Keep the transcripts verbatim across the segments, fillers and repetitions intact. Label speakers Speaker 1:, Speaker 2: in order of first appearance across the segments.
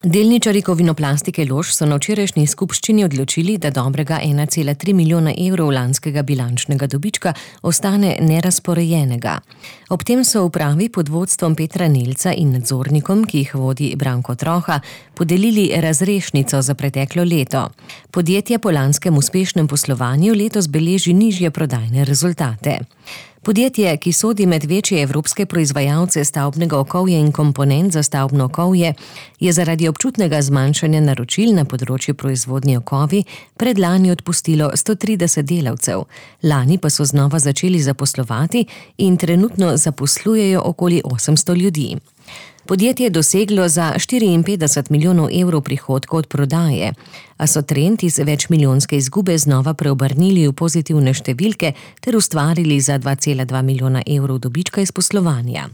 Speaker 1: Delničarji Kovinoplastike Lož so na včerajšnji skupščini odločili, da dobrega ena cela tri milijona evrov lanskega bilančnega dobička ostane nerazporejenega. Ob tem so upravi pod vodstvom Petra Nelca in nadzornikom, ki jih vodi Branko Troha, podelili razrešnico za preteklo leto. Podjetje po lanskem uspešnem poslovanju letos beleži nižje prodajne rezultate. Podjetje, ki sodi med večje evropske proizvajalce stavbnega okovja in komponent za stavbno okovje, je zaradi občutnega zmanjšanja naročil na področju proizvodnje okovi predlani odpustilo sto trideset delavcev. Lani pa so znova začeli zaposlovati in trenutno zaposlujejo okoli osemsto ljudi. Podjetje je doseglo za štiriinpetdeset milijonov evrov prihodkov od prodaje, a so trend iz večmilijonske izgube znova preobrnili v pozitivne številke ter ustvarili za dva cela dva milijona evrov dobička iz poslovanja.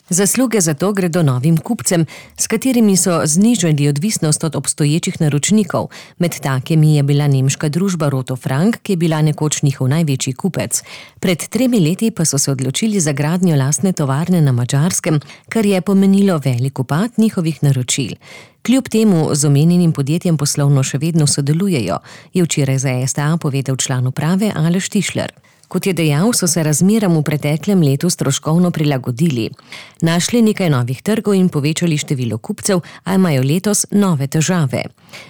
Speaker 1: Zasluge za to gredo novim kupcem, s katerimi so znižali odvisnost od obstoječih naročnikov. Med takimi je bila nemška družba Roto Frank, ki je bila nekoč njihov največji kupec. Pred tremi leti pa so se odločili za gradnjo lastne tovarne na Madžarskem, kar je pomenilo velik upad njihovih naročil. Kljub temu z omenjenim podjetjem poslovno še vedno sodelujejo, je včeraj za S T A povedal član uprave Aleš Tišler. Kot je dejal, so se razmeram v preteklem letu stroškovno prilagodili. Našli nekaj novih trgov in povečali število kupcev, a imajo letos nove težave.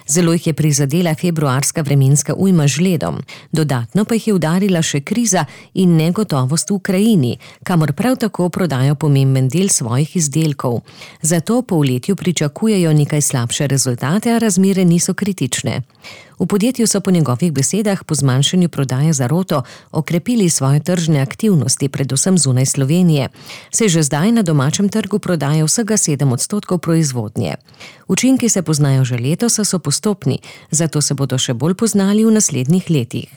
Speaker 1: Zelo jih je prizadela februarska vremenska ujma z ledom. Dodatno pa jih je udarila še kriza in negotovost v Ukrajini, kamor prav tako prodajo pomemben del svojih izdelkov. Zato po letju pričakujejo nekaj slabše rezultate, a razmere niso kritične. V podjetju so po njegovih besedah po zmanjšanju prodaje za Roto okrepili svoje tržne aktivnosti, predvsem zunaj Slovenije. Se že zdaj na domačem trgu prodaja vsega sedem odstotkov proizvodnje. Učinki se poznajo že letos, a so postopni, zato se bodo še bolj poznali v naslednjih letih.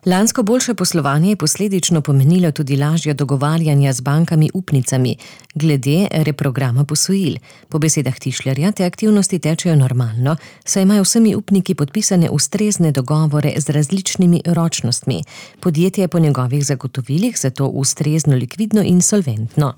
Speaker 1: Lansko boljše poslovanje je posledično pomenilo tudi lažje dogovarjanja z bankami upnicami glede reprograma posojil. Po besedah Tišlerja te aktivnosti tečejo normalno, saj imajo vsemi upniki podpisane ustrezne dogovore z različnimi ročnostmi. Podjetje je po njegovih zagotovilih zato ustrezno likvidno in solventno.